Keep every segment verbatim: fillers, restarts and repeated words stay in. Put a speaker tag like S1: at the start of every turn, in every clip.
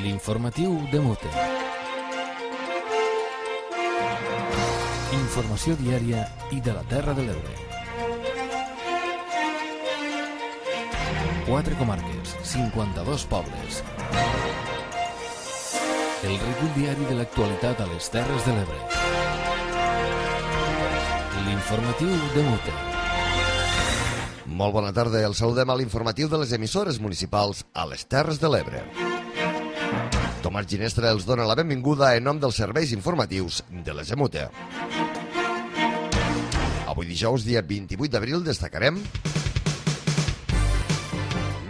S1: L'informatiu de Mute. Informació diària i de la Terra de l'Ebre. Quatre comarques, cinquanta-dos pobles. El recull diari de l'actualitat a les Terres de l'Ebre. L'informatiu de Mute.
S2: Molt bona tarda, el saludem a l'informatiu de les emissores municipals a les Terres de l'Ebre. Tomàs Ginestra els dona la benvinguda en nom dels serveis informatius de les Emute. Avui dijous, dia vint-i-vuit d'abril, destacarem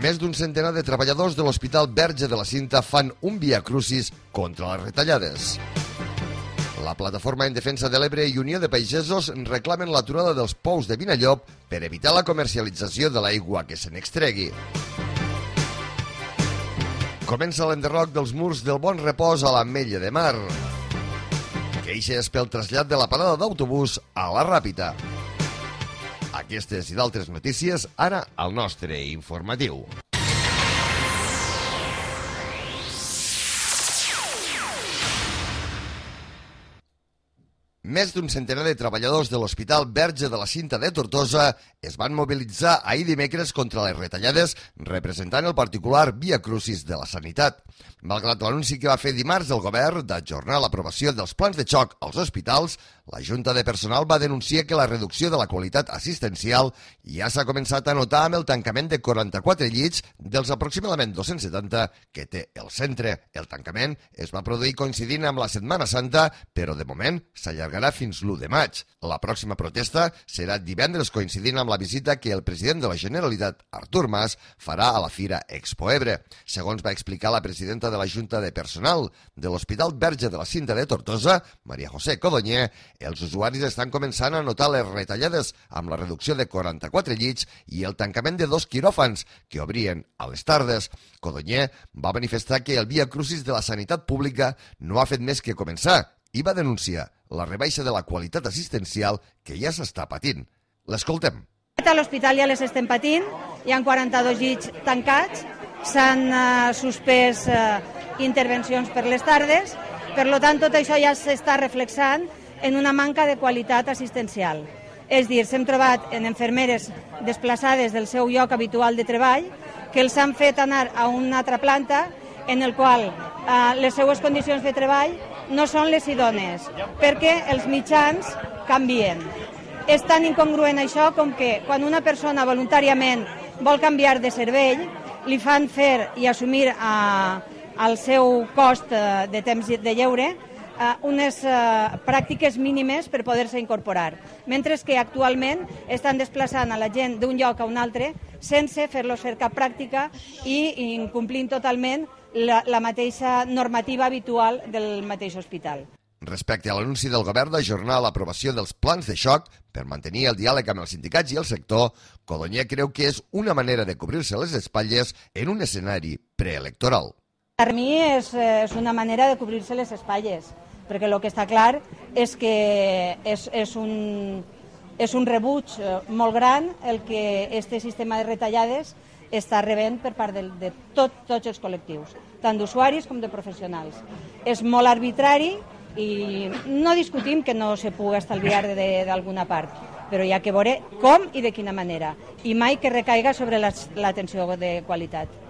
S2: més d'un centenar de treballadors de l'Hospital Verge de la Cinta fan un via crucis contra les retallades. La Plataforma en Defensa de l'Ebre i Unió de Pagesos reclamen l'aturada dels pous de Vinallop per evitar la comercialització de l'aigua que se n'extregui. Comença l'enderroc dels murs del Bon Repòs a l'Ametlla de Mar. Queixes pel trasllat de la parada d'autobús a la Ràpita. Aquestes i d'altres notícies ara al nostre informatiu. Més d'un centenar de treballadors de l'Hospital Verge de la Cinta de Tortosa es van mobilitzar ahir dimecres contra les retallades representant el particular Via Crucis de la Sanitat. Malgrat l'anunci que va fer dimarts el govern d'ajornar l'aprovació dels plans de xoc als hospitals, la Junta de Personal va denunciar que la reducció de la qualitat assistencial ja s'ha començat a notar amb el tancament de quaranta-quatre llits dels aproximadament dos-cents setanta que té el centre. El tancament es va produir coincidint amb la Setmana Santa, però de moment s'allargarà fins l'u de maig. La pròxima protesta serà divendres coincidint amb la visita que el president de la Generalitat, Artur Mas, farà a la Fira Expo Ebre. Segons va explicar la presidenta de la Junta de Personal de l'Hospital Verge de la Cinta de Tortosa, Maria José Codonyer, els usuaris estan començant a notar les retallades amb la reducció de quaranta-quatre llits i el tancament de dos quiròfans que obrien a les tardes. Codonyer va manifestar que el Via Crucis de la sanitat pública no ha fet més que començar i va denunciar la rebaixa de la qualitat assistencial que ja s'està patint. L'escoltem.
S3: A l'hospital ja les estem patint, hi ha quaranta-dos llits tancats, s'han uh, suspès uh, intervencions per les tardes, per tant tot això ja s'està reflexant en una manca de qualitat assistencial. És dir, s'hem trobat en infermeres desplaçades del seu lloc habitual de treball que els han fet anar a una altra planta en el qual uh, les seues condicions de treball no són les idònies, perquè els mitjans canvien. És tan incongruent això com que quan una persona voluntàriament vol canviar de cervell, li fan fer i assumir uh, el seu cost uh, de temps de lleure uh, unes uh, pràctiques mínimes per poder-se incorporar, mentre que actualment estan desplaçant a la gent d'un lloc a un altre sense fer-los fer cap pràctica i incomplint totalment la, la mateixa normativa habitual del mateix hospital.
S2: Respecte a l'anunci del govern d'ajornar l'aprovació dels plans de xoc per mantenir el diàleg amb els sindicats i el sector, Codonyer creu que és una manera de cobrir-se les espatlles en un escenari preelectoral.
S3: Per mi és, és una manera de cobrir-se les espatlles, perquè el que està clar és que és, és, un, és un rebuig molt gran el que aquest sistema de retallades està rebent per part de, de tot, tots els col·lectius, tant d'usuaris com de professionals. És molt arbitrari i no discutim que no se pugui estalviar d'alguna part, però hi ha que veure com i de quina manera, i mai que recaiga sobre l'atenció de qualitat.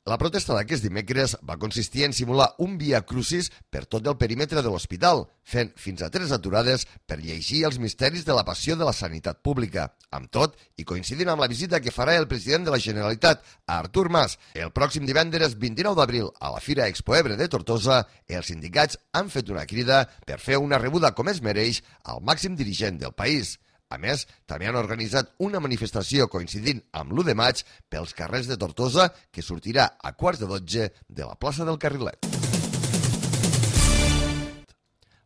S2: La protesta d'aquest dimecres va consistir en simular un via crucis per tot el perímetre de l'hospital, fent fins a tres aturades per llegir els misteris de la passió de la sanitat pública. Amb tot, i coincidint amb la visita que farà el president de la Generalitat, Artur Mas, el pròxim divendres vint-i-nou d'abril a la Fira Expo Ebre de Tortosa, els sindicats han fet una crida per fer una rebuda com es mereix al màxim dirigent del país. A més, també han organitzat una manifestació coincidint amb l'u de maig pels carrers de Tortosa que sortirà a quarts de dotze de la plaça del Carrilet.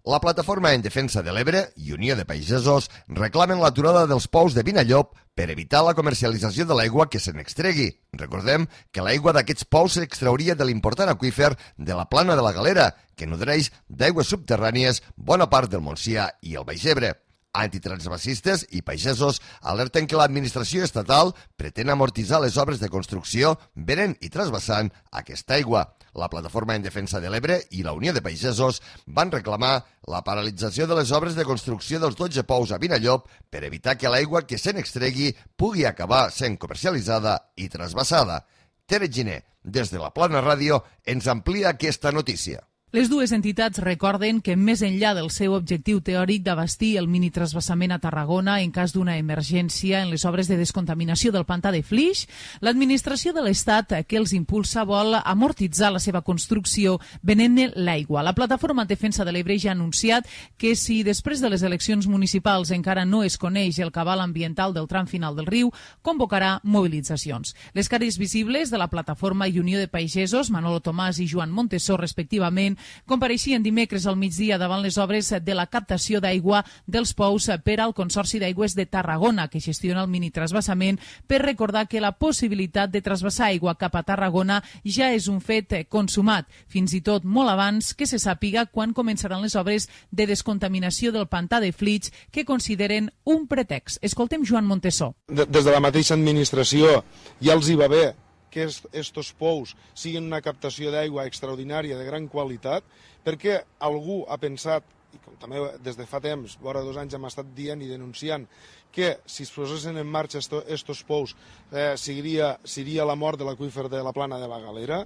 S2: La Plataforma en Defensa de l'Ebre i Unió de Pagesos reclamen l'aturada dels pous de Vinallop per evitar la comercialització de l'aigua que se n'extregui. Recordem que l'aigua d'aquests pous s'extrauria de l'important aqüífer de la Plana de la Galera, que nodreix d'aigües subterrànies bona part del Montsià i el Baix Ebre. Antitransvasistes i pagesos alerten que l'administració estatal pretén amortitzar les obres de construcció venent i trasbassant aquesta aigua. La Plataforma en Defensa de l'Ebre i la Unió de Pagesos van reclamar la paralització de les obres de construcció dels dotze pous a Vinallop per evitar que l'aigua que se n'extregui pugui acabar sent comercialitzada i trasbassada. Tere Giner, des de la Plana Ràdio, ens amplia aquesta notícia.
S4: Les dues entitats recorden que, més enllà del seu objectiu teòric d'abastir el minitransvasament a Tarragona en cas d'una emergència en les obres de descontaminació del pantà de Flix, l'administració de l'Estat que els impulsa vol amortitzar la seva construcció venent-ne l'aigua. La Plataforma en Defensa de l'Ebre ja ha anunciat que si després de les eleccions municipals encara no es coneix el cabal ambiental del tram final del riu, convocarà mobilitzacions. Les cares visibles de la Plataforma i Unió de Pagesos, Manolo Tomàs i Joan Montesó, respectivament, compareixien dimecres al migdia davant les obres de la captació d'aigua dels pous per al Consorci d'Aigües de Tarragona, que gestiona el minitransvasament, per recordar que la possibilitat de trasbassar aigua cap a Tarragona ja és un fet consumat, fins i tot molt abans que se sàpiga quan començaran les obres de descontaminació del pantà de Flix, que consideren un pretext. Escoltem Joan Montesó.
S5: Des de la mateixa administració ja els hi va bé que estos pous siguin una captació d'aigua extraordinària de gran qualitat, perquè algú ha pensat, i com també des de fa temps, vora dos anys hem estat dient i denunciant, que si es posessin en marxa estos pous eh, seria, seria la mort de l'aqüífer de la Plana de la Galera.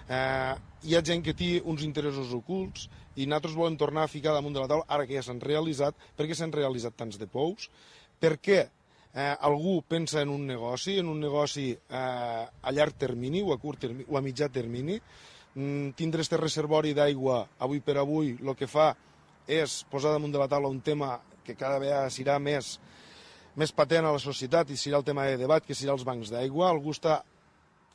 S5: Eh, hi ha gent que té uns interessos ocults i nosaltres volem tornar a ficar damunt de la taula, ara que ja s'han realitzat, per què s'han realitzat tants de pous, per què Eh, algú pensa en un negoci, en un negoci eh, a llarg termini o a curt termini, o a mitjà termini. Mm, tindre este reservori d'aigua avui per avui el que fa és posar damunt de la taula un tema que cada vegada serà més, més patent a la societat i serà el tema de debat, que serà els bancs d'aigua. Algú està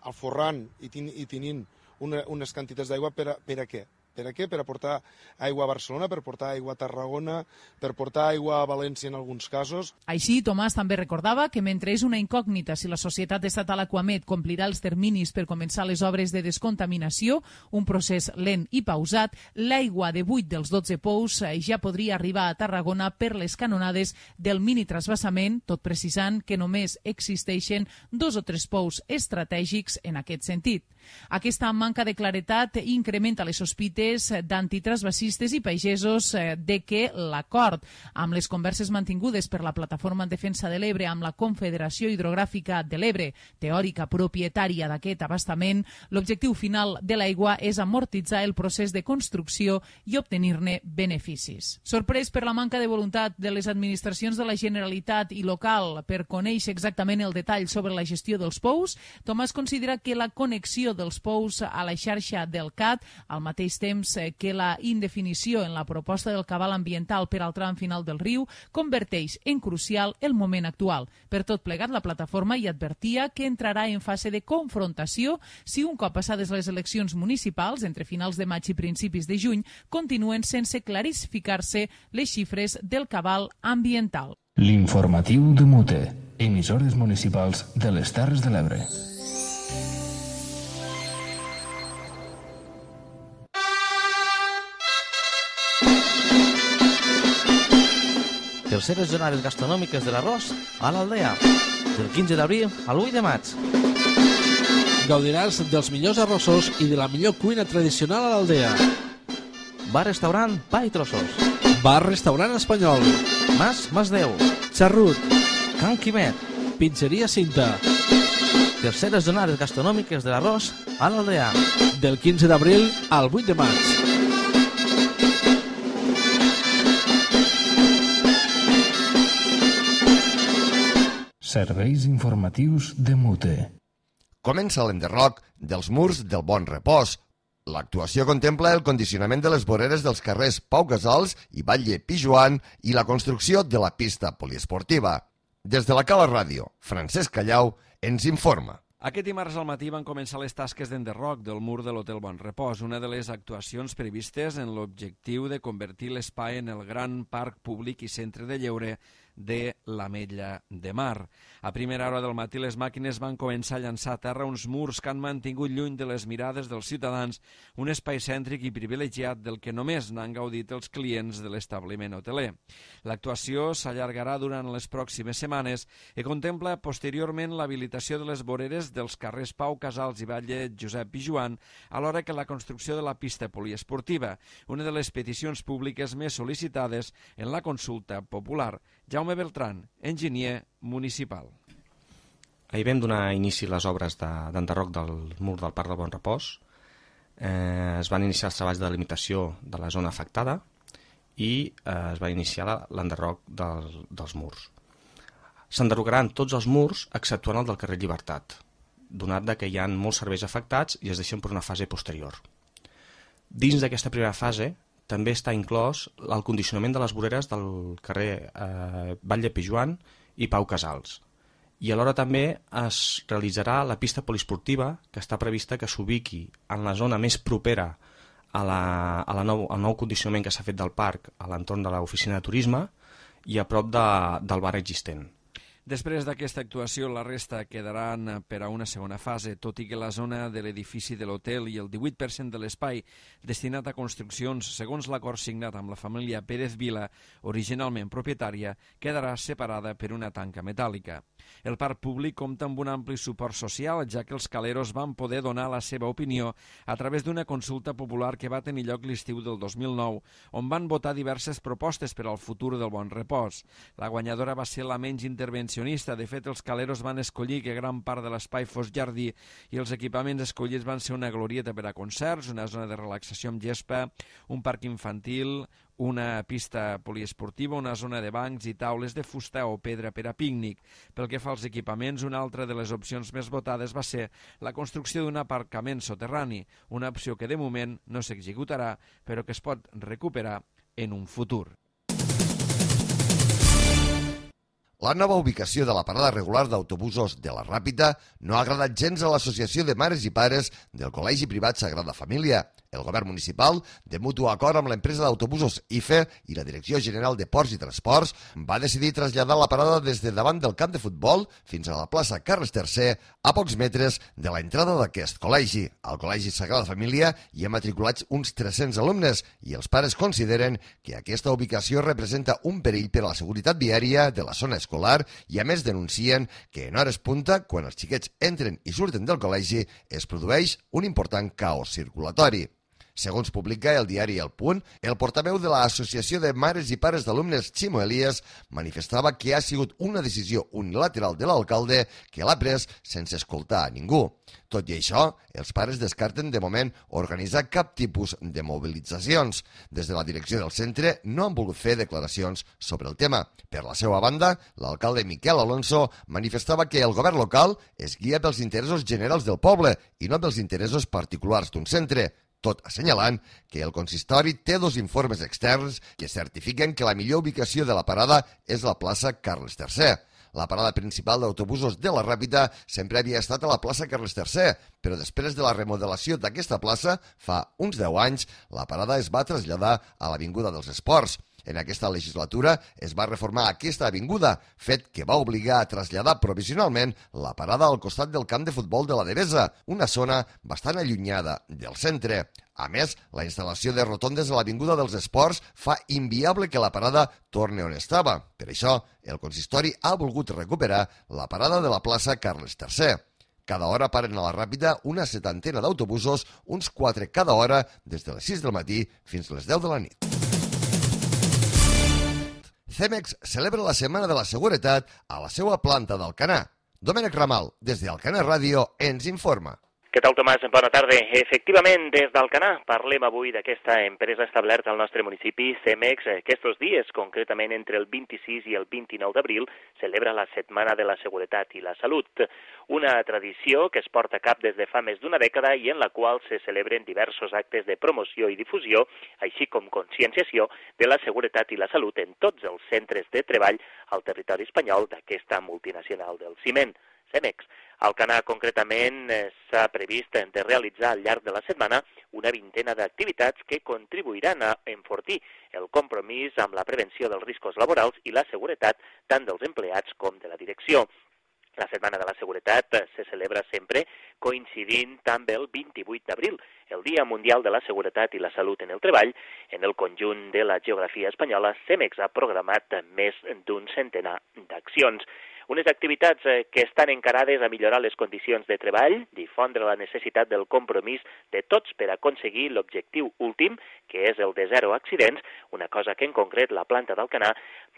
S5: alforrant i, ten, i tenint una, unes quantitats d'aigua per, a, per a què? Per a què? Per aportar aigua a Barcelona, per portar aigua a Tarragona, per portar aigua a València en alguns casos.
S4: Així, Tomàs també recordava que mentre és una incògnita si la societat estatal Aquamed complirà els terminis per començar les obres de descontaminació, un procés lent i pausat, l'aigua de vuit dels dotze pous ja podria arribar a Tarragona per les canonades del mini-trasbassament, tot precisant que només existeixen dos o tres pous estratègics en aquest sentit. Aquesta manca de claretat incrementa les sospites d'antitransvasistes i pagesos de que l'acord amb les converses mantingudes per la Plataforma en Defensa de l'Ebre amb la Confederació Hidrogràfica de l'Ebre, teòrica propietària d'aquest abastament, l'objectiu final de l'aigua és amortitzar el procés de construcció i obtenir-ne beneficis. Sorprès per la manca de voluntat de les administracions de la Generalitat i local per conèixer exactament el detall sobre la gestió dels pous, Tomàs considera que la connexió dels pous a la xarxa del C A T, al mateix temps que la indefinició en la proposta del cabal ambiental per al tram final del riu, converteix en crucial el moment actual. Per tot plegat, la plataforma hi advertia que entrarà en fase de confrontació si un cop passades les eleccions municipals, entre finals de maig i principis de juny, continuen sense clarificar-se les xifres del cabal ambiental.
S1: L'informatiu de Mute, emissores municipals de les Terres de l'Ebre.
S6: Terceres jornades gastronòmiques de l'arròs a l'Aldea, del quinze d'abril al vuit de maig.
S7: Gaudiràs dels millors arrossos i de la millor cuina tradicional a l'Aldea.
S6: Bar-restaurant Pa i Trossos.
S7: Bar-restaurant espanyol.
S6: Mas Masdeu.
S7: Xarrut.
S6: Can Quimet.
S7: Pizzeria Cinta.
S6: Terceres jornades gastronòmiques de l'arròs a l'Aldea.
S7: Del quinze d'abril al vuit de maig.
S1: Serveis informatius de Mute.
S2: Comença l'enderroc dels murs del Bon Repòs. L'actuació contempla el condicionament de les voreres dels carrers Pau Casals i Batlle Pijoan i la construcció de la pista poliesportiva. Des de la Cala Ràdio, Francesc Callau ens informa.
S8: Aquest dimarts al matí van començar les tasques d'enderroc del mur de l'Hotel Bon Repòs, una de les actuacions previstes en l'objectiu de convertir l'espai en el gran parc públic i centre de lleure de l'Ametlla de Mar. A primera hora del matí les màquines van començar a llançar a terra uns murs que han mantingut lluny de les mirades dels ciutadans un espai cèntric i privilegiat del que només n'han gaudit els clients de l'establiment hoteler. L'actuació s'allargarà durant les pròximes setmanes i contempla posteriorment l'habilitació de les voreres dels carrers Pau Casals i Batlle Josep Pijuan, alhora que la construcció de la pista poliesportiva, una de les peticions públiques més sol·licitades en la consulta popular. Jaume Beltrán, enginyer municipal.
S9: Ahir vam donar inici a les obres d'enderroc de, del mur del Parc del Bon Repòs. Eh, es van iniciar els treballs de delimitació de la zona afectada i eh, es va iniciar l'enderroc del, dels murs. S'enderrocaran tots els murs exceptuant el del carrer Llibertat, donat que hi ha molts serveis afectats i es deixen per una fase posterior. Dins d'aquesta primera fase també està inclòs el condicionament de les voreres del carrer eh, Batlle Pijuan i Pau Casals. I alhora també es realitzarà la pista poliesportiva, que està prevista que s'ubiqui en la zona més propera a la, a la nou, al nou condicionament que s'ha fet del parc, a l'entorn de l'oficina de turisme i a prop de, del bar existent.
S8: Després d'aquesta actuació, la resta quedaran per a una segona fase, tot i que la zona de l'edifici de l'hotel i el divuit per cent de l'espai destinat a construccions, segons l'acord signat amb la família Pérez Vila, originalment propietària, quedarà separada per una tanca metàl·lica. El parc públic compta amb un ampli suport social, ja que els caleros van poder donar la seva opinió a través d'una consulta popular que va tenir lloc l'estiu del dos mil nou, on van votar diverses propostes per al futur del Bon Repòs. La guanyadora va ser la menys intervencionista. De fet, els caleros van escollir que gran part de l'espai fos jardí i els equipaments escollits van ser una glorieta per a concerts, una zona de relaxació amb gespa, un parc infantil, una pista poliesportiva, una zona de bancs i taules de fusta o pedra per a pícnic. Pel que fa als equipaments, una altra de les opcions més votades va ser la construcció d'un aparcament soterrani, una opció que de moment no s'executarà, però que es pot recuperar en un futur.
S2: La nova ubicació de la parada regular d'autobusos de la Ràpita no ha agradat gens a l'Associació de Mares i Pares del Col·legi Privat Sagrada Família. El govern municipal, de mutu acord amb l'empresa d'autobusos I F E i la Direcció General de Ports i Transports, va decidir traslladar la parada des de davant del camp de futbol fins a la plaça Carles tercer, a pocs metres de l'entrada d'aquest col·legi. Al Col·legi Sagrada Família hi ha matriculats uns tres-cents alumnes i els pares consideren que aquesta ubicació representa un perill per a la seguretat viària de la zona escolar i a més denuncien que en hores punta, quan els xiquets entren i surten del col·legi, es produeix un important caos circulatori. Segons publica el diari El Punt, el portaveu de l'Associació de Mares i Pares d'Alumnes, Ximo Elias, manifestava que ha sigut una decisió unilateral de l'alcalde que l'ha pres sense escoltar a ningú. Tot i això, els pares descarten de moment organitzar cap tipus de mobilitzacions. Des de la direcció del centre no han volgut fer declaracions sobre el tema. Per la seva banda, l'alcalde Miquel Alonso manifestava que el govern local es guia pels interessos generals del poble i no pels interessos particulars d'un centre, tot assenyalant que el consistori té dos informes externs que certifiquen que la millor ubicació de la parada és la plaça Carles tercer. La parada principal d'autobusos de la Ràpita sempre havia estat a la plaça Carles tercer, però després de la remodelació d'aquesta plaça, fa uns deu anys, la parada es va traslladar a l'Avinguda dels Esports. En aquesta legislatura es va reformar aquesta avinguda, fet que va obligar a traslladar provisionalment la parada al costat del camp de futbol de la Devesa, una zona bastant allunyada del centre. A més, la instal·lació de rotondes a l'Avinguda dels Esports fa inviable que la parada torni on estava. Per això, el consistori ha volgut recuperar la parada de la plaça Carles tercer. Cada hora paren a la Ràpita una setantena d'autobusos, uns quatre cada hora, des de les sis del matí fins a les deu de la nit. Cemex celebra la Setmana de la Seguretat a la seva planta d'Alcanar. Domènec Ramal, des d'Alcanar Ràdio, ens informa.
S10: Què tal, Tomàs? Bona tarda. Efectivament, des d'Alcanar parlem avui d'aquesta empresa establerta al nostre municipi, Cemex. Aquests dies, concretament entre el vint-i-sis i el vint-i-nou d'abril, celebra la Setmana de la Seguretat i la Salut, una tradició que es porta a cap des de fa més d'una dècada i en la qual se celebren diversos actes de promoció i difusió, així com conscienciació de la seguretat i la salut en tots els centres de treball al territori espanyol d'aquesta multinacional del ciment. Cemex Alcanar, concretament, s'ha previst de realitzar al llarg de la setmana una vintena d'activitats que contribuiran a enfortir el compromís amb la prevenció dels riscos laborals i la seguretat tant dels empleats com de la direcció. La Setmana de la Seguretat se celebra sempre coincidint amb el vint-i-vuit d'abril, el Dia Mundial de la Seguretat i la Salut en el Treball. En el conjunt de la geografia espanyola, CEMEX ha programat més d'un centenar d'accions. Unes activitats que estan encarades a millorar les condicions de treball, difondre la necessitat del compromís de tots per aconseguir l'objectiu últim, que és el de zero accidents, una cosa que en concret la planta d'Alcanar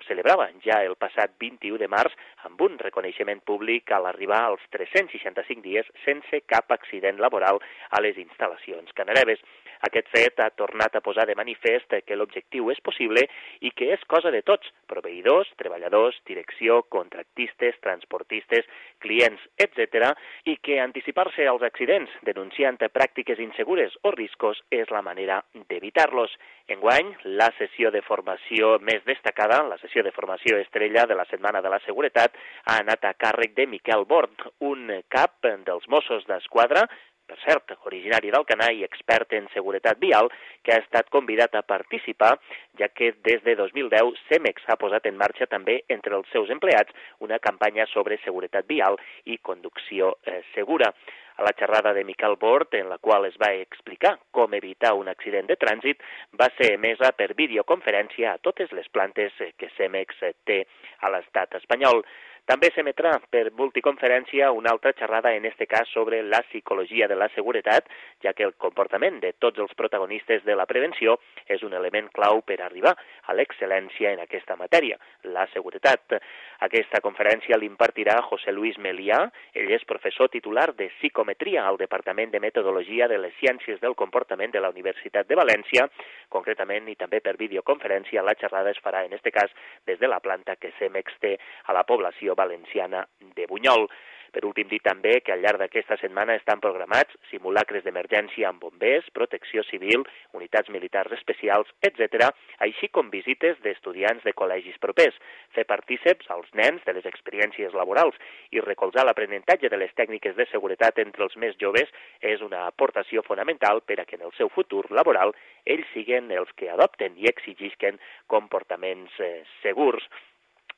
S10: celebrava ja el passat vint-i-u de març amb un reconeixement públic a l'arribar als tres-cents seixanta-cinc dies sense cap accident laboral a les instal·lacions canareves. Aquest fet ha tornat a posar de manifest que l'objectiu és possible i que és cosa de tots, proveïdors, treballadors, direcció, contractistes, transportistes, clients, etcètera, i que anticipar-se als accidents denunciant pràctiques insegures o riscos és la manera d'evitar-los. Enguany, la sessió de formació més destacada, la sessió de formació estrella de la Setmana de la Seguretat, ha anat a càrrec de Miquel Bort, un cap dels Mossos d'Esquadra, per cert, originari d'Alcanar i expert en seguretat vial, que ha estat convidat a participar, ja que des de dos mil deu CEMEX ha posat en marxa també entre els seus empleats una campanya sobre seguretat vial i conducció eh, segura. A la xerrada de Miquel Bort, en la qual es va explicar com evitar un accident de trànsit, va ser emesa per videoconferència a totes les plantes que CEMEX té a l'estat espanyol. També s'emetrà per multiconferència una altra xerrada, en aquest cas sobre la psicologia de la seguretat, ja que el comportament de tots els protagonistes de la prevenció és un element clau per arribar a l'excel·lència en aquesta matèria, la seguretat. Aquesta conferència l'impartirà José Luis Melià, ell és professor titular de psicometria al Departament de Metodologia de les Ciències del Comportament de la Universitat de València. Concretament, i també per videoconferència, la xerrada es farà, en aquest cas, des de la planta que CEMEX té a la població valenciana de Bunyol. Per últim, dir també que al llarg d'aquesta setmana estan programats simulacres d'emergència amb bombers, protecció civil, unitats militars especials, etcètera, així com visites d'estudiants de col·legis propers, fer partíceps als nens de les experiències laborals i recolzar l'aprenentatge de les tècniques de seguretat entre els més joves és una aportació fonamental per a que en el seu futur laboral ells siguen els que adopten i exigisquen comportaments eh, segurs.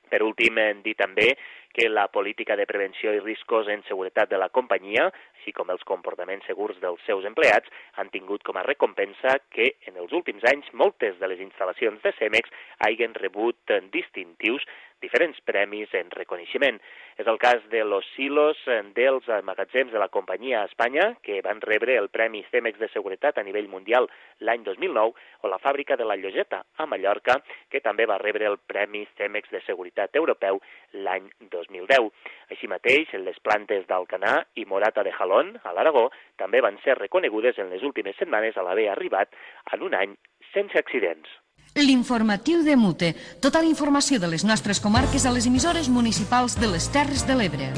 S10: Per últim, dir també que la política de prevenció i riscos en seguretat de la companyia, així com els comportaments segurs dels seus empleats, han tingut com a recompensa que en els últims anys moltes de les instal·lacions de CEMEX hagin rebut distintius, diferents premis en reconeixement. És el cas de los silos dels magatzems de la companyia a Espanya, que van rebre el Premi CEMEX de Seguretat a nivell mundial l'any dos mil nou, o la fàbrica de la Lloseta a Mallorca, que també va rebre el Premi CEMEX de Seguretat Europeu l'any dos mil deu. Així mateix, les plantes d'Alcanar i Morata de Jalón, a l'Aragó, també van ser reconegudes en les últimes setmanes a l'haver arribat en un any sense accidents.
S11: L'informatiu de Mute. Tota la informació de les nostres comarques a les emissores municipals de les Terres de l'Ebre.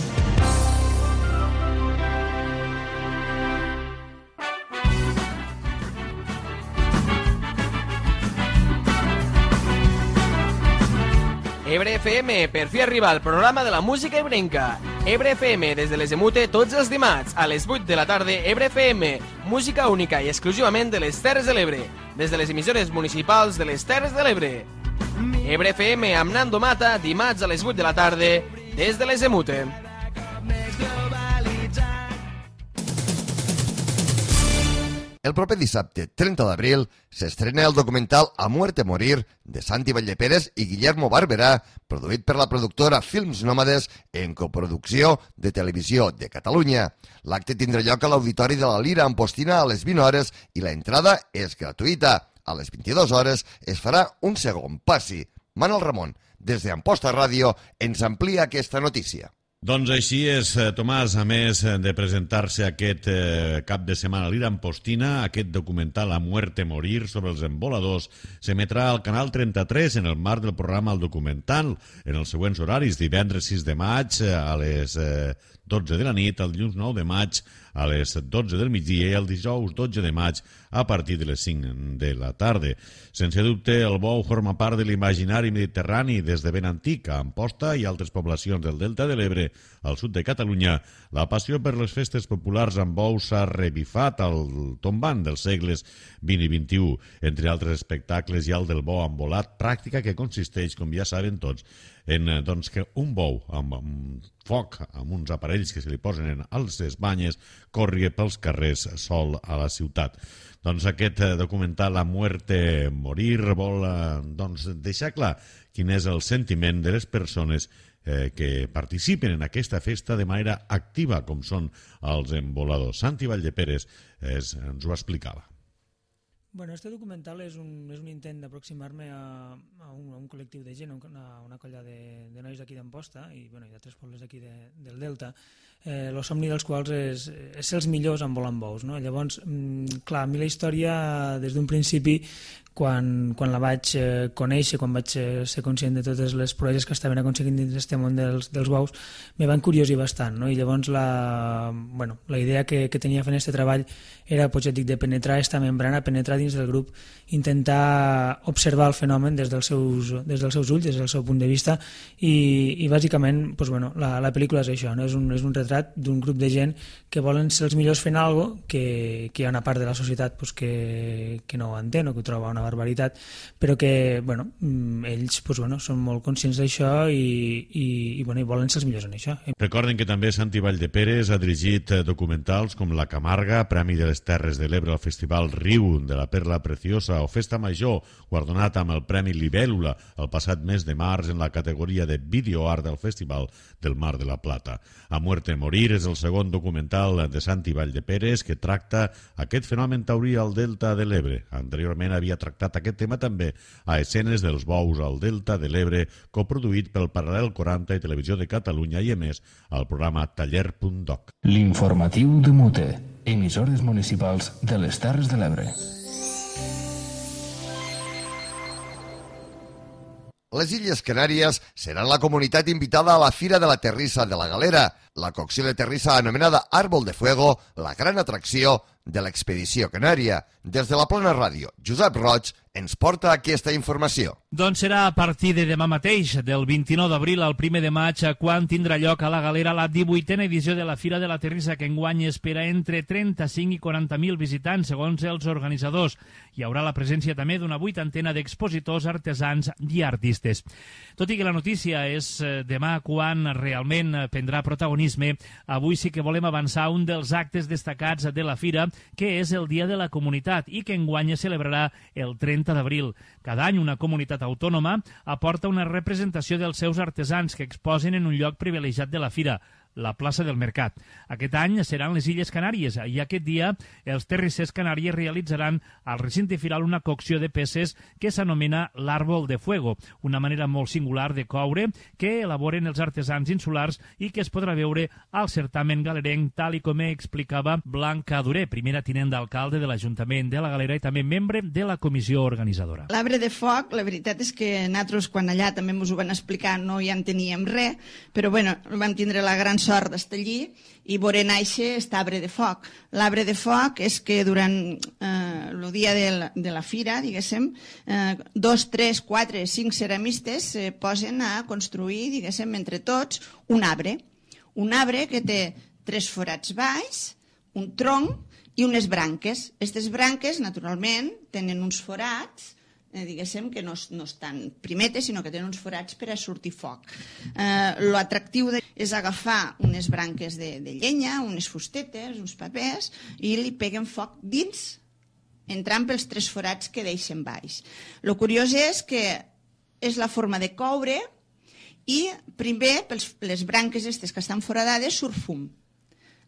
S12: Ebre F M, per fi arriba el programa de la música ebrenca. Ebre F M, des de les Emute, tots els dimarts, a les vuit de la tarda, Ebre F M, música única i exclusivament de les Terres de l'Ebre, des de les emissores municipals de les Terres de l'Ebre. Ebre F M amb Nando Mata, dimarts a les vuit de la tarda, des de les Emute.
S2: El proper dissabte, trenta d'abril, s'estrena el documental A muerte morir de Santi Vallepérez i Guillermo Barberà, produït per la productora Films Nòmades en coproducció de Televisió de Catalunya. L'acte tindrà lloc a l'Auditori de la Lira Ampostina a les vint hores i la entrada és gratuïta. A les vint-i-dues hores es farà un segon passi. Manel Ramon, des d'Amposta Ràdio, ens amplia aquesta notícia.
S13: Doncs així és, Tomàs, a més de presentar-se aquest eh, cap de setmana a l'Ira Ampostina, aquest documental A muerte morir sobre els emboladors s'emetrà al canal trenta-tres en el marc del programa El Documental en els següents horaris, divendres sis de maig a les eh, dotze de la nit, el dilluns nou de maig a les dotze del migdia i el dijous dotze de maig a partir de les cinc de la tarda. Sense dubte, el bou forma part de l'imaginari mediterrani des de ben antic. A Amposta i altres poblacions del Delta de l'Ebre, al sud de Catalunya, la passió per les festes populars amb bous s'ha revifat al tombant dels segles vint i vint-i-u. Entre altres espectacles hi ha el del bou embolat, pràctica que consisteix, com ja saben tots, en doncs, que un bou amb, amb foc, amb uns aparells que se li posen en les banyes, corri pels carrers sol a la ciutat. Doncs aquest documental La muerte morir vol doncs, deixar clar quin és el sentiment de les persones eh, que participen en aquesta festa de manera activa, com són els emboladors. Santi Valdeperes es, ens ho explicava.
S14: Bueno, este documental és un, és un intent d'aproximar-me a, a, un, a un col·lectiu de gent, a una, una colla de, de nois d'aquí d'Amposta i, bueno, i d'altres pobles d'aquí de, del Delta, eh, el somni dels quals és, és ser els millors en volant bous. No? Llavors, mm, clar, a mi la història, des d'un principi, quan, quan la vaig eh, conèixer, quan vaig eh, ser conscient de totes les proeses que estaven aconseguint dins d'aquest món dels, dels bous, me van curiosir bastant. No? I llavors la, bueno, la idea que, que tenia fent aquest treball era, pues, ja dic, de penetrar aquesta membrana, penetrar dins del grup, intentar observar el fenomen des dels seus, des dels seus ulls, des del seu punt de vista, i, i bàsicament pues, bueno, la, la pel·lícula és això, no? és, un, és un retrat d'un grup de gent que volen ser els millors fent alguna cosa, que, que hi ha una part de la societat pues, que, que no ho entén o que ho troba una barbaritat, però que bueno, ells pues, bueno, són molt conscients d'això i, i, i, bueno, i volen ser els millors en això.
S13: Recorden que també Santi Valdeperes ha dirigit documentals com La Camarga, Premi de les Terres de l'Ebre al Festival Riu de la Perla Preciosa, o Festa Major, guardonat amb el Premi Libèl·lula el passat mes de març en la categoria de videoart del Festival del Mar de la Plata. A muerte morir és el segon documental de Santi Valdeperes que tracta aquest fenomen taurí al Delta de l'Ebre. Anteriorment havia tractat aquest tema també a Escenes dels bous al Delta de l'Ebre, coproduït pel Paral·lel quaranta i Televisió de Catalunya i emès al programa taller punt doc.
S1: L'informatiu de Mute, emissores municipals de les Terres de l'Ebre.
S2: Les Illes Canàries seran la comunitat invitada a la Fira de la Terrissa de la Galera, la cocció de terrissa anomenada Árbol de Fuego, la gran atracció de l'expedició canària. Des de la Plana Ràdio, Josep Roig ens porta aquesta informació.
S15: Doncs serà a partir de demà mateix, del vint-i-nou d'abril al primer de maig, quan tindrà lloc a la Galera la divuitena edició de la Fira de la Terrissa, que enguany espera entre trenta-cinc i quaranta mil visitants, segons els organitzadors. Hi haurà la presència també d'una vuitantena d'expositors, artesans i artistes. Tot i que la notícia és demà quan realment prendrà protagonisme, avui sí que volem avançar un dels actes destacats de la Fira, que és el Dia de la Comunitat i que enguany es celebrarà el trenta d'abril. Cada any una comunitat autònoma aporta una representació dels seus artesans que exposen en un lloc privilegiat de la Fira, la plaça del Mercat. Aquest any seran les Illes Canàries i aquest dia els terrissers canàries realitzaran al recinte firal una cocció de peces que s'anomena l'Àrbol de Fuego, una manera molt singular de coure que elaboren els artesans insulars i que es podrà veure al certamen galerenc, tal i com explicava Blanca Duré, primera tinent d'alcalde de l'Ajuntament de la Galera i també membre de la comissió organitzadora.
S16: L'arbre de foc, la veritat és que nosaltres quan allà també ens ho van explicar no hi en teníem res, però bueno, vam tindre la gran sort d'estar allí i veure néixer aquest arbre de foc. L'arbre de foc és que durant eh, el dia de la, de la fira, diguéssim, eh, dos, tres, quatre, cinc ceramistes se posen a construir, diguéssim, entre tots, un arbre. Un arbre que té tres forats baix, un tronc i unes branques. Aquestes branques, naturalment, tenen uns forats, Eh, diguéssim que no, no estan primetes, sinó que tenen uns forats per a sortir foc. Eh, L'atractiu és agafar unes branques de, de llenya, unes fustetes, uns papers, i li peguen foc dins, entrant pels tres forats que deixen baix. El curiós és que és la forma de coure i primer, per les branques aquestes que estan foradades, surt fum.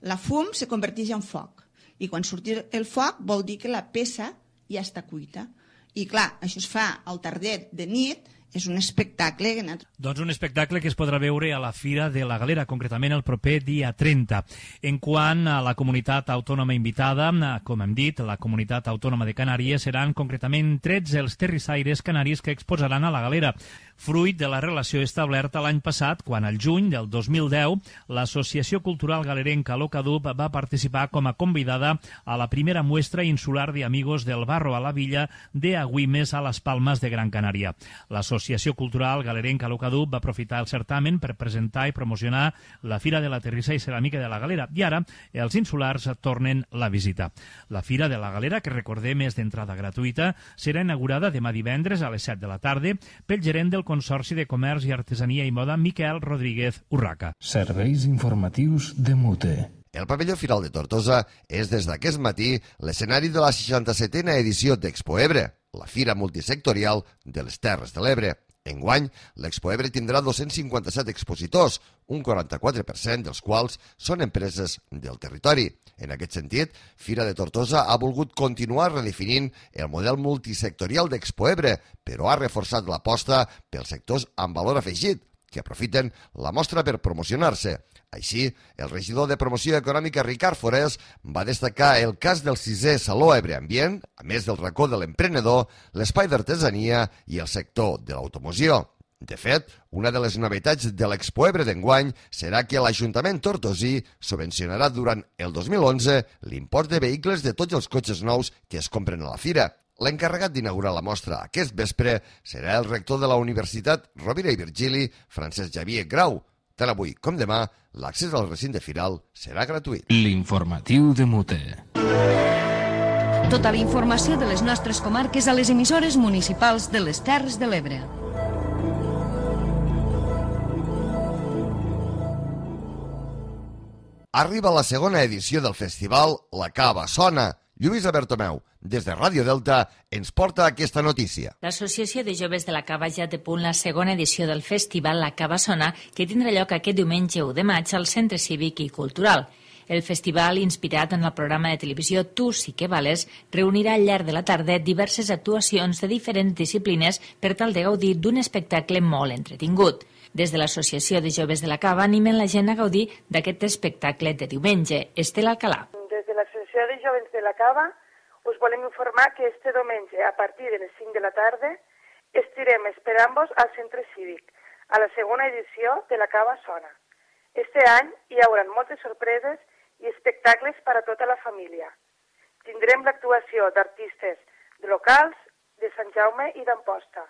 S16: La fum se converteix en foc, i quan surt el foc vol dir que la peça ja està cuita. I clar, això es fa al tardet de nit és un espectacle.
S15: Doncs un espectacle que es podrà veure a la Fira de la Galera, concretament el proper dia trenta. En quant a la comunitat autònoma invitada, com hem dit, la comunitat autònoma de Canàries, seran concretament tretze els terrissaires canaris que exposaran a la Galera, fruit de la relació establerta l'any passat, quan al juny del dos mil deu l'Associació Cultural Galerenca Locadub va participar com a convidada a la primera muestra insular de Amigos del Barro a la villa de Agüimes a les Palmes de Gran Canària. L'Associació Cultural Galerenca Locadub va aprofitar el certamen per presentar i promocionar la Fira de la Terrissa i Ceràmica de la Galera, i ara els insulars tornen la visita. La Fira de la Galera, que recordem és d'entrada gratuïta, serà inaugurada demà divendres a les set de la tarda pel gerent del Consorci de Comerç i Artesania i Moda, Miquel Rodríguez Urraca.
S1: Serveis informatius de Mute.
S2: El pavelló Firal de Tortosa és des d'aquest matí l'escenari de la seixanta-setena edició d'Expo Ebre, la fira multisectorial de les Terres de l'Ebre. Enguany, l'Expo Ebre tindrà dos-cents cinquanta-set expositors, un quaranta-quatre per cent dels quals són empreses del territori. En aquest sentit, Fira de Tortosa ha volgut continuar redefinint el model multisectorial d'Expo Ebre, però ha reforçat l'aposta pels sectors amb valor afegit, que aprofiten la mostra per promocionar-se. Així, el regidor de Promoció Econòmica, Ricard Forés, va destacar el cas del sisè Saló Ebre Ambient, a més del racó de l'emprenedor, l'espai d'artesania i el sector de l'automoció. De fet, una de les novetats de l'Expo Ebre d'enguany serà que l'Ajuntament tortosí subvencionarà durant el dos mil onze l'import de vehicles de tots els cotxes nous que es compren a la fira. L'encarregat d'inaugurar la mostra aquest vespre serà el rector de la Universitat Rovira i Virgili, Francesc Xavier Grau. Tant avui com demà, l'accés al recinte firal serà gratuït.
S1: L'informatiu de Mute.
S11: Tota la informació de les nostres comarques a les emissores municipals de les Terres de l'Ebre.
S2: Arriba la segona edició del festival La Cava Sona. Lluïsa Bertomeu, des de Ràdio Delta, ens porta aquesta notícia.
S17: L'Associació de Joves de la Cava ja té a punt la segona edició del festival La Cava Sona, que tindrà lloc aquest diumenge u de maig al Centre Cívic i Cultural. El festival, inspirat en el programa de televisió Tu sí que vales, reunirà al llarg de la tarda diverses actuacions de diferents disciplines per tal de gaudir d'un espectacle molt entretingut. Des de l'Associació de Joves de la Cava animen la gent a gaudir d'aquest espectacle de diumenge. Estela Alcalà.
S18: Des de l'Associació de Joves de la Cava us volem informar que este diumenge, a partir de les cinc de la tarda, estirem esperant-vos al Centre Cívic, a la segona edició de La Cava Sona. Este any hi haurà moltes sorpreses i espectacles per a tota la família. Tindrem l'actuació d'artistes de locals, de Sant Jaume i d'Amposta.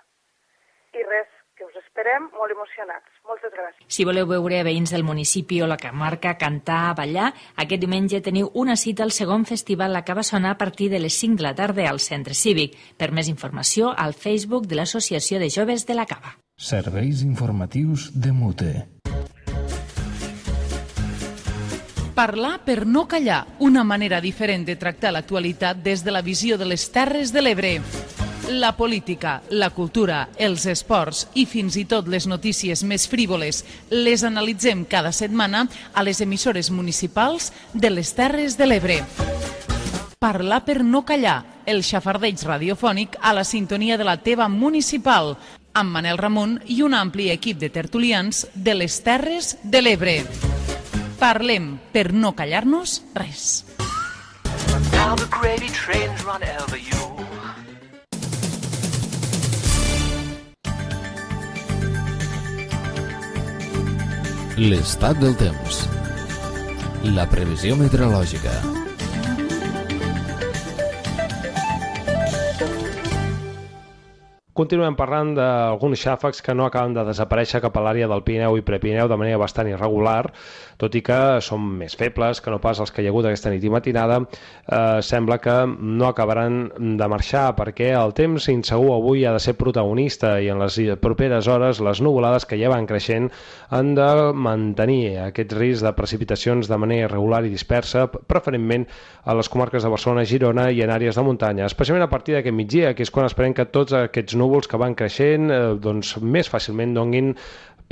S18: I res, que us esperem molt emocionats. Moltes gràcies.
S17: Si voleu veure veïns del municipi o la comarca cantar, ballar, aquest diumenge teniu una cita al segon festival La Cava Sona a partir de les cinc de la tarda al Centre Cívic. Per més informació, al Facebook de l'Associació de Joves de la Cava.
S1: Serveis informatius de Mute.
S4: Parlar per no callar, una manera diferent de tractar l'actualitat des de la visió de les Terres de l'Ebre. La política, la cultura, els esports i fins i tot les notícies més frívoles les analitzem cada setmana a les emissores municipals de les Terres de l'Ebre. Parlar per no callar, el xafardeig radiofònic a la sintonia de la teva municipal, amb Manel Ramon i un ampli equip de tertulians de les Terres de l'Ebre. Parlem per no callar-nos res.
S1: L'estat del temps. La previsió meteorològica.
S19: Continuem parlant d'alguns xàfecs que no acaben de desaparèixer cap a l'àrea del Pirineu i Prepirineu de manera bastant irregular, tot i que són més febles que no pas els que hi ha hagut aquesta nit i matinada. Eh, sembla que no acabaran de marxar perquè el temps insegur avui ha de ser protagonista i en les properes hores les nuvolades que ja van creixent han de mantenir aquest risc de precipitacions de manera irregular i dispersa, preferentment a les comarques de Barcelona, Girona i en àrees de muntanya, especialment a partir d'aquest migdia, que és quan esperem que tots aquests núvols que van creixent eh, doncs més fàcilment donguin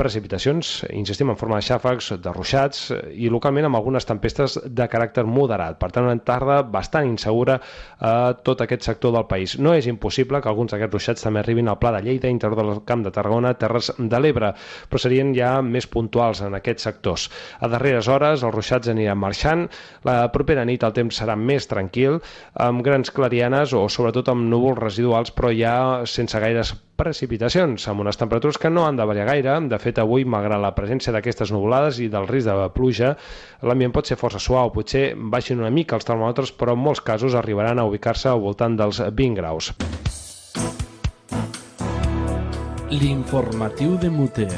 S19: precipitacions, insistim, en forma de xàfecs, de ruixats i localment amb algunes tempestes de caràcter moderat. Per tant, una tarda bastant insegura a tot aquest sector del país. No és impossible que alguns d'aquests ruixats també arribin al Pla de Lleida, interior del Camp de Tarragona, Terres de l'Ebre, però serien ja més puntuals en aquests sectors. A darreres hores els ruixats aniran marxant, la propera nit el temps serà més tranquil, amb grans clarianes o sobretot amb núvols residuals, però ja sense gaires precipitacions, amb unes temperatures que no han de variar gaire. De fet, avui, malgrat la presència d'aquestes nuvolades i del risc de pluja, l'ambient pot ser força suau, potser baixin una mica els termòmetres, però en molts casos arribaran a ubicar-se al voltant dels vint graus.
S7: L'informatiu de Mute.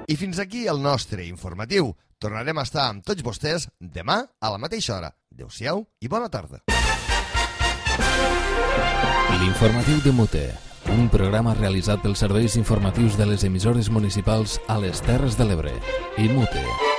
S2: I fins aquí el nostre informatiu. Tornarem a estar amb tots vostès demà a la mateixa hora. Adéu-siau i bona tarda.
S1: L'informatiu de Mute, un programa realitzat pels serveis informatius de les emissores municipals a les Terres de l'Ebre i Mute.